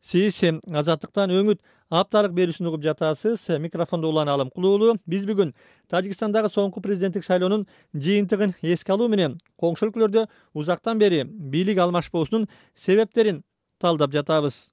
Сиз Азаттыктан өңүт апталык берүүсүн угуп жатасыз. Микрофондо Улан Алым Кулуулу. Биз бүгүн Тажикстандагы соңку президенттик шайлоонун жыйынтыгын эске алуу менен коңшу өлкөлөрдө узактан бери бийлик алмашпоосунун себептерин талдап жатабыз.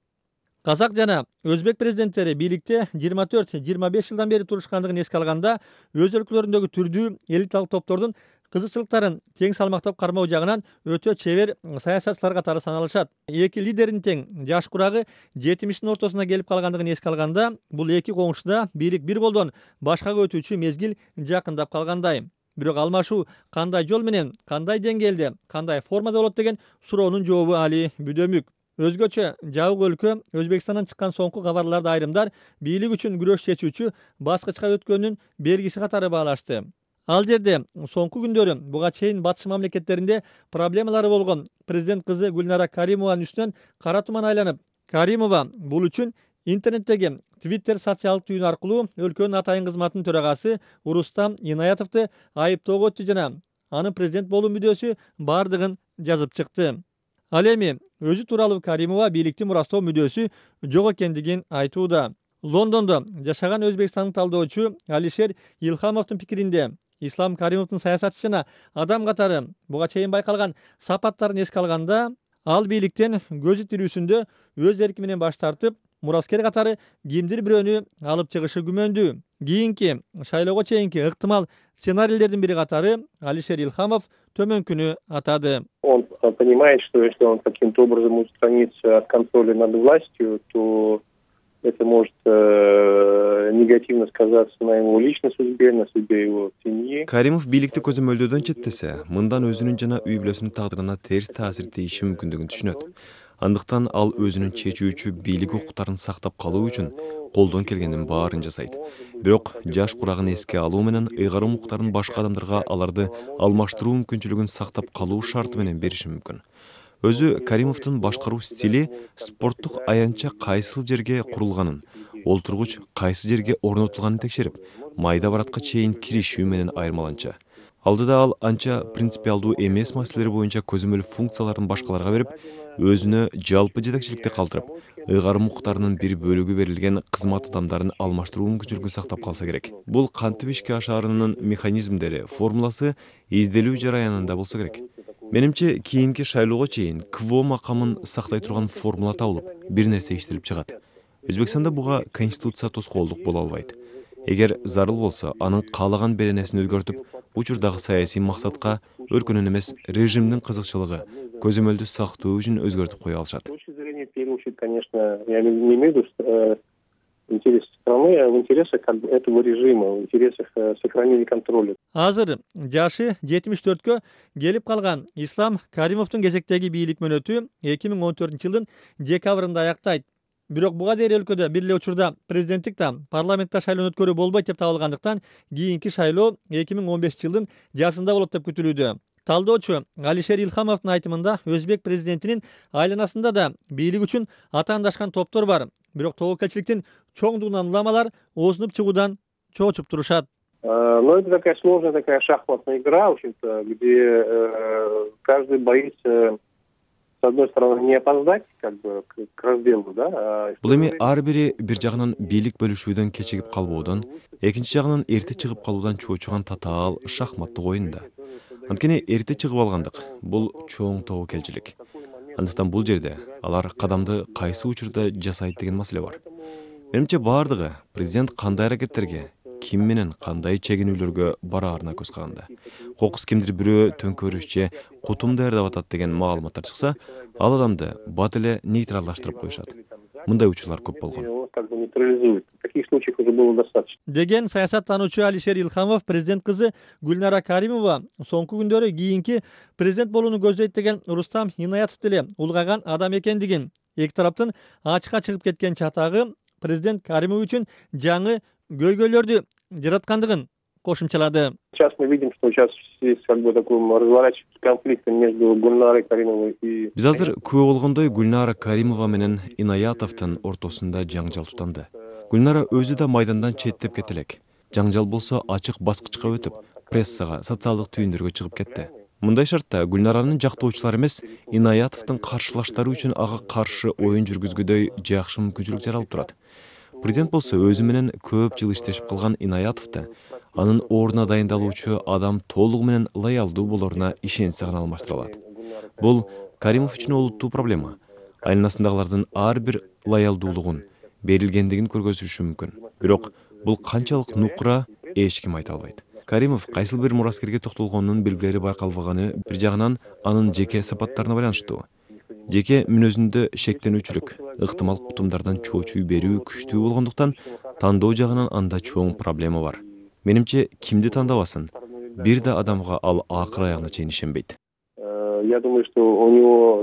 Казак жана өзбек президенттери бийликте 24-25 жылдан бери турушкандыгын эске алганда, өз өлкөлөрүндөгү түрдүү элиталык топтордун кызыкчылыктарын тең салмактап кармоо жагынан өтө чебер саясатчылар катары саналышат. Эки лидердин тең жаш курагы 70-тин ортосуна келип калгандыгын эске алганда, бул эки коңшуда бийлик бир колдон башкага өтүүчү мезгил жакындап калгандай. Бирок алмашуу кандай жол менен, кандай деңгээлде, кандай формада болот деген суроонун жообу али бүдөмүк. Өзгөчө жабык өлкө Өзбекстандан чыккан соңку кабарларды айрымдар бийлик үчүн күрөш чечүүчү баскычка өткөнүн белгиси катары баалашты. Ал жерде соңку күндөрү буга чейин батыш мамлекеттеринде проблемалары болгон президент кызы Гүлнара Каримованын үстүнөн кара туман айланып, Каримова бул үчүн интернеттеги Twitter социалдык түйүнү аркылуу өлкөнүн атайын кызматынын төрагасы Урустам Инаятовду айыптоого өттү жана анын президент болуу мүдөөсү бардыгын жазып чыкты. Ал эми өзү тууралуу Каримова бийликти мурастоо мүдөөсү жок экендигин айтууда. Лондондо жашаган өзбекстандык талдоочу Алишер Илхамовдун пикиринде, Ислам Каримовдун саясатчы жана адам катары буга чейин байкалган сапаттарын эске алганда, ал бийликтен көзү тирүүсүндө өз эрки менен баш тартып, мураскер катары кимдир бирөөнү алып чыгышы күмөндүү. Кийинки шайлоого чейинки ыктымал сценарийлердин бири катары Алишер Илхамов төмөнкүнү атады. Он понимает, что если он каким-то образом устранится от контроля над властью, то это может негативно сказаться на его личной судьбе, на судьбе его семьи. Каримов бийликти көзөмөлдөөдөн четтесе, мындан өзүнүн жана үй бүлөсүнүн тагдырына терс таасир тийиши мүмкүндүгүн түшүнөт. Андыктан ал өзүнүн чечүүчү бийлик укуктарын сактап калуу үчүн колдон келгендин баарын жасайт. Бирок жаш курагын эске алуу менен ыйгарым укуктарын башка адамдарга аларды алмаштыруу мүмкүнчүлүгүн сактап калуу шарты менен бериши мүмкүн. Өзү Каримовдун башкаруу стили спорттук аянтча кайсыл жерге курулганын, олтургуч кайсы жерге орнотулганын текшерип, майда баратка чейин киришүү менен айырмаланча. Алдыда ал анча принципиалдуу эмес маселелер боюнча көзөмөл функцияларын башкаларга берип, өзүнө жалпы жетекчиликти калтырып, ыйгарым укуктарынын бир бөлүгү берилген кызмат адамдарын алмаштыруу мүмкүнчүлүгүн сактап калса керек. Бул кантип ишке ашаарынын механизмдери, формуласы изделүү жараянында болсо керек. Менимче, кийинки шайлоого чейин КВО макамын сактай турган формула табылып, бир нерсе иштелип чыгат. Өзбекстанда буга конституция тоскоолдук боло албайт. Эгер зарыл болсо, анын каалаган беренесин өзгөртүп, учурдагы саясий максатка өлкөнүн эмес режимдин кызыкчылыгы, көзөмөлдү сактоо үчүн өзгөртүп кое алышат. Конечно, я не имею в виду интересы страны, а в интересах этого режима, в интересах сохранения контроля. Азыр жашы 74кө келип калган Ислам Каримовдун кезектеги бийлик мөөнөтү 2014-жылдын декабрында аяктайт. Бирок буга дейин өлкөдө бир эле учурда президенттик да, парламентте шайлоо өткөрүү болбойт деп табылгандыктан, кийинки шайлоо 2015-жылдын жазында болот деп күтүлүүдө. Талдоочу Алишер Илхамовдун айтымында, өзбек президентинин айланасында да бийлик үчүн атаандашкан топтор бар. Бирок тобокелчиликтин чоңдугунан уламалар оозунуп чыгуудан чоочуп турушат. Но это такая сложная такая шахматная игра, в общем-то, где каждый боится, с одной стороны, не опоздать к разделу, да. Бул эми ар бири бир жагынан бийлик бөлүшүүдөн кечигип калбоодон, экинчи жагынан эрте чыгып калуудан чоочуган татаал шахматтык оюн да. Анткени эрте чыгып алгандык бул чоң тобокелчилик. Андыктан бул жерде алар кадамды кайсы учурда жасайт деген маселе бар. Менимче бардыгы президент кандай аракеттерге, ким менен кандай чегинүүлөргө бараарына көз каранды. Кокус кимдир бирөө төңкөрүш же кутум даярдап атат деген маалыматтар чыкса, ал адамды бат эле нейтралдаштырып коюшат. Мындай учурлар көп болгон. Таких случаев уже было достаточно. Деген саясаттануучу Алишер Илхамов президент кызы Гүлнара Каримова соңку күндөрү кийинки президент болууну көздөйт деген Рустам Инаятов деле улгаган адам экендигин, эки тараптын ачыкка чыгып кеткен чатагы президент Каримов үчүн жаңы көйгөйлөрдү жараткандыгын кошумчалады. Сейчас мы видим, что сейчас есть такой разворачивается конфликт между Гульнарой Каримовой и... Биз азыр күбө болгондой Гүлнара Каримова менен Инаятовдун ортосунда жаңжал тутанды. Гүлнара өзү да майдандан четтеп кетелек. Жаңжал болсо ачык баскычка өтүп, прессага, социалдык түйүндөргө чыгып кетти. Мындай шартта Гүлнаранын жактоочулары эмес, Инаятовдун каршылаштары үчүн ага каршы оюн жүргүзгүдөй жакшы мүмкүнчүлүк жаралып турат. Президент болсо өзү менен көп жыл иштешип калган Инаятовду анын ордуна дайындалуучу адам толугу менен лоялдуу болоруна ишенсе гана алмаштыра алат. Бул Каримов үчүн олуттуу проблема. Айланасындагылардын ар бир лоялдуулугун, берилгендигин көргөзүшү мүмкүн. Бирок бул канчалык нукура эч ким айта албайт. Каримов кайсыл бир мураскерге токтолгонунун белгилери байкалбаганы бир жагынан анын жеке сапаттарына байланыштуу. Жеке мүнөзүндө шектенүүчүлүк, ыктымал кутумдардан чоочуй берүү күчтүү болгондуктан тандоо жагынан анда чоң проблема бар. Менимче, кимди тандабасын, бир да адамга ал акыр аягына чейин ишенбейт. Я думаю, что у него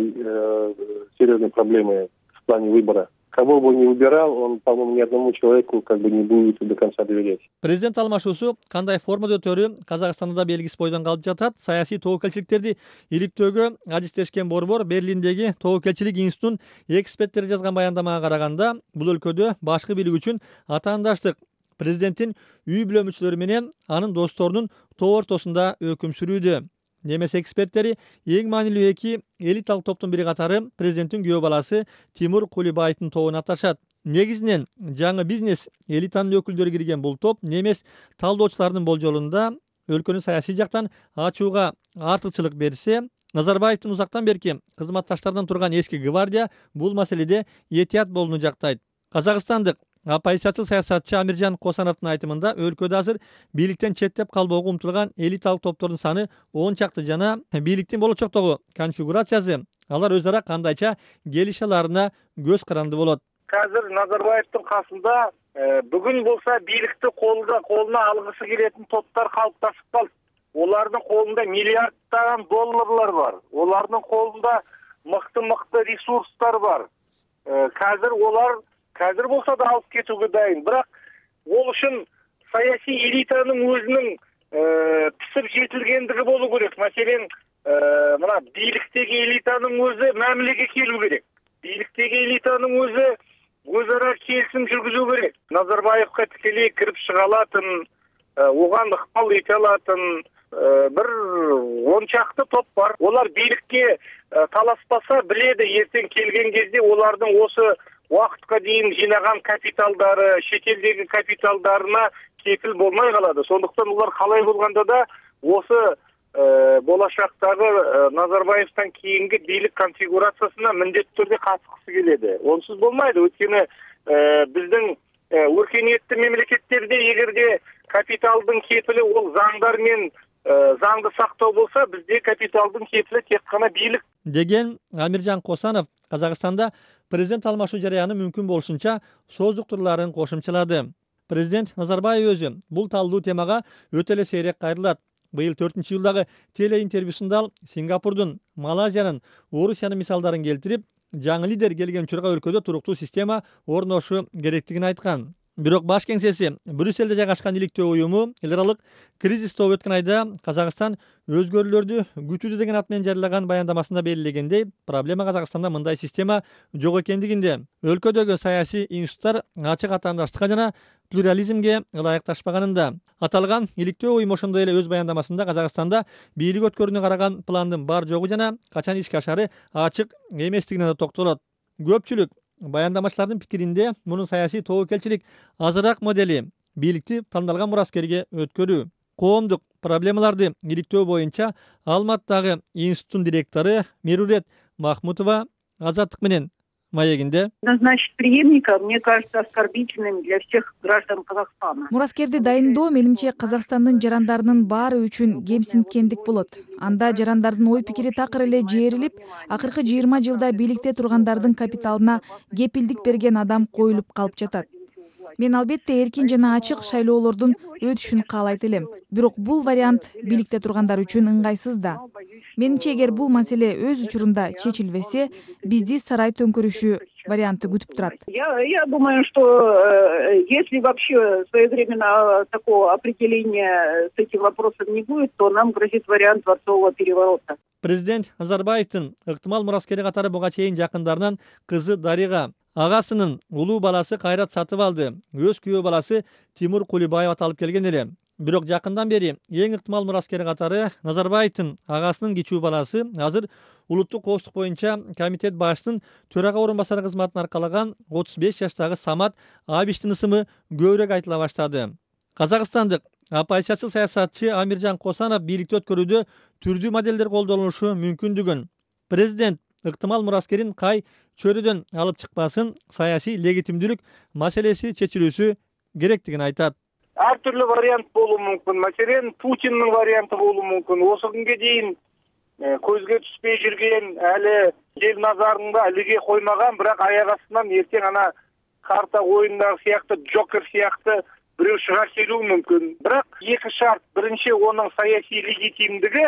серьезные проблемы в плане выбора. Кого бы он ни выбирал, он, по-моему, ни одному человеку не будет до конца доверять. Президент алмашуусу кандай формада өтөрү Казакстанда да белгисиз бойдон калып жатат. Саясий тобокелчиликтерди иликтөөгө адистешкен борбор Берлиндеги тобокелчилик институтунун эксперттери жазган баяндамага караганда, бул өлкөдө башкы бийлик үчүн атаандаштык президенттин үй бүлө мүчөлөрү менен анын досторунун тоо ортосунда өкүм сүрүүдө. Немес эксперттери эң маанилүү эки элиталык топтун бири катары президенттин күйөө баласы Тимур Кулибаевдин тобун аташат. Негизинен жаңы бизнес элитанын өкүлдөрү кирген бул топ немес талдоочулардын болжолунда өлкөнү саясий жактан ачууга артыкчылык берсе, Назарбаевдин узактан берки кызматташтарынан турган эски гвардия бул маселеде этият болууну жактайт. Казакстандык оппозициячыл саясатчы Амиржан Косановдун айтымында өлкөдө азыр бийликтен четтеп калбоого умтулган элиталык топтордун саны 10 чакты жана бийликтин болочоктогу конфигурациясы алар өз ара кандайча келише аларына көз каранды болот. Азыр Назарбаевдин касында бүгүн болсо бийликти колуна алгысы келетін топтар калыпташып калды. Олардын колунда миллиарддаган долларлар бар. Олардын колунда мыкты ресурстар бар. Қазір болса да алып кетүүгө дайын. Бирок ол үчүн саясий элитанын өзүнүн писип жетилгендиги болуу керек. Маселен, мына бийликтеги элитанын өзү мамилеге келүү керек. Бийликтеги элитанын өзү өз ара келисим жүргүзүү керек. Назарбаевка тикелей кирип чыга алатын, оган ыкпал эте алатын бир 10 чакты топ бар. Олар бийликке таласпаса, биледи эртең келген кезде олардын осы уақытқа дейін жинаған капиталдары, шетелдегі капиталдарына кепіл болмай қалады. Сондықтан олар қалай болғанда да осы болашақтағы Назарбаевтан кейінгі бийлик конфигурациясына міндетті түрде қатысқысы келеді. Онсыз болмайды. Өйткені біздің өркениетті мемлекеттерде егерде капиталдың кепілі ол заңдар мен заңды сактоо болса, бизде капиталдын кепили тек гана бийлик деген Амиржан Косанов Казакстанда президент алмашуу жарыяны мүмкүн болушунча сооздуктурларын кошумчалады. Президент Назарбаев өзү бул талдуу темага өтө эле сейрек кайрылат. Быйыл 4-жылдагы телеинтервьюсунда ал Сингапурдун, Малайзиянын, Орусиянын мисалдарын келтирип, жаңы лидер келген учурга өлкөдө туруктуу система орношу керектигин айткан. Бирок баш кеңсеси Брюсселде жайгашкан иликтөө уюму эл аралык кризис тобу өткөн айда Казакстан өзгөрүүлөрдү күтүүдө деген ат менен жарыялаган баяндамасында белгилегендей, проблема Казакстанда мындай система жок экендигинде. Өлкөдөгү саясий институттар ачык атаандаштыкка жана плюрализмге ылайыкташпаганында. Аталган иликтөө уюму ошондой эле өз баяндамасында Казакстанда бийлик өткөрүүнү караган пландын бар жогу жана качан ишке ашары ачык эместигине да токтолот. Көпчүлүк баяндамачылардын пикиринде мунун саясий тобокелчилик азыраак модели бийликти тандалган мураскерге өткөрүү. Коомдук проблемаларды иликтөө боюнча Алматтагы институттун директору Мерурет Махмутова Азаттык менен маегинде назначить преемника, мне кажется, оскорбительным для всех граждан Казахстана. Мураскерди дайындоо менимче Казакстандын жарандарынын баары үчүн кемсинткендик болот. Анда жарандардын ой пикири такыр эле жээрилип, акыркы 20 жылда бийликте тургандардын капиталына кепилдик берген адам коюлуп калып жатат. Мен албетте эркин жана ачык шайлоолордун өтүшүн каалайт элем. Бирок бул вариант бийликте тургандар үчүн ыңгайсыз да. Менимче эгер бул маселе өз учурунда чечилбесе, бизди сарай төңкөрүшү варианты күтүп турат. Я думаю, что если вообще своевременно такого определения с этим вопросом не будет, то нам грозит вариант дворцового переворота. Президент Назарбаевдин ыктымал мураскери катары буга чейин жакындарынан кызы Дарига, агасынын улуу баласы Кайрат сатып алды. Өз күйөө баласы Тимур Кулибаев аталып келген эле. Бирок жакындан бери эң ыктымал мураскер катары Назарбаевдин агасынын кичүү баласы азыр улуттук коопсуздук боюнча комитет башчысынын төрага орун басары кызматын аркалаган 35 жаштагы Самат Абиштин ысымы көбүрөөк айтыла баштады. Казакстандык оппозициячыл саясатчы Амиржан Косанов бийликти өткөрүүдө түрдүү моделдер колдонулушу мүмкүндүгүн, президент ыктымал мураскерин кай чөйрөдөн алып чыкпасын, саясий легитимдүүлүк маселеси чечилүүсү керектигин айтат. Ар түрлүү вариант болуу мүмкүн. Маселен, Путиндин варианты болуу мүмкүн. Осы күнгө дейин көзгө түспөй жүрген, әлі ел назарында илиге коймаган, бирок аяк астынан эртең ана карта оюндагы сыяктуу, Джокер сыяктуу бирөө чыга келүү мүмкүн. Бирок эки шарт: биринчи онун саясий легитимдиги,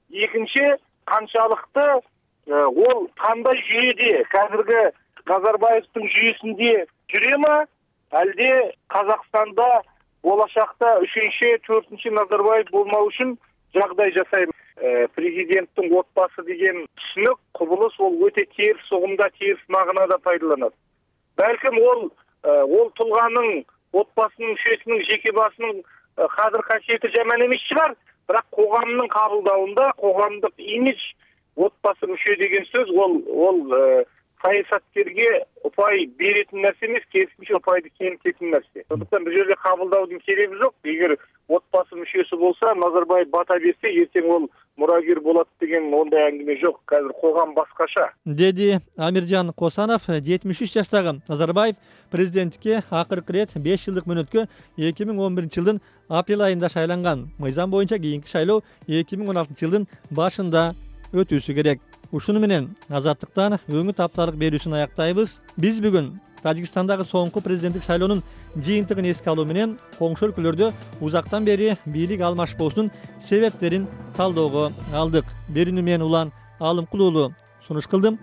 экинчи канчалыкты ол кандай жүйөдө, казыркы Назарбаевдин жүйөсүндө жүрөмү, алде Казакстанда болашакта 3-4 Назарбаев болмау үчүн жагдай жасайм. Президенттин отбасы деген түшүнүк, кубулуш ол өтө терс угумда, терс мағынада пайдаланат. Балким ол тулганын, отбасынын мүчөсүнүн, жеке басынын кадыр касиети жаман эмес чыгар, бирок коомдун кабылдауында коомдук имидж, отбасы мүчө деген сөз ол саясаткерге упай беретін нәрсе емес, керісінше упайды кемітетін нәрсе. Сондықтан бұл жерде қабылдаудың керегі жоқ. Егер отбасы мүшесі болса, Назарбаев бата берсе, ертең ол мұрагер болады деген ондай әңгіме жоқ. Қазір қоғам басқаша. Деди Амиржан Косанов. 73 жаштагы Назарбаев президенттикке акыркы рет 5 жылдык мөөнөткө 2011 жылдын апрель айында шайланган. Мыйзам боюнча кийинки шайлоо 2016 жылдын башында өтүүсү керек. Ушуну менен Азаттыктан өңүт апталык берүүсүн аяктайбыз. Биз бүгүн Тажикстандагы соңку президенттик шайлоонун жыйынтыгын эске алуу менен коңшу өлкөлөрдө узактан бери бийлик алмашпоосунун себептерин талоого алдык. Берүүнү мен Улан Алымкулуулу сунуш кылдым.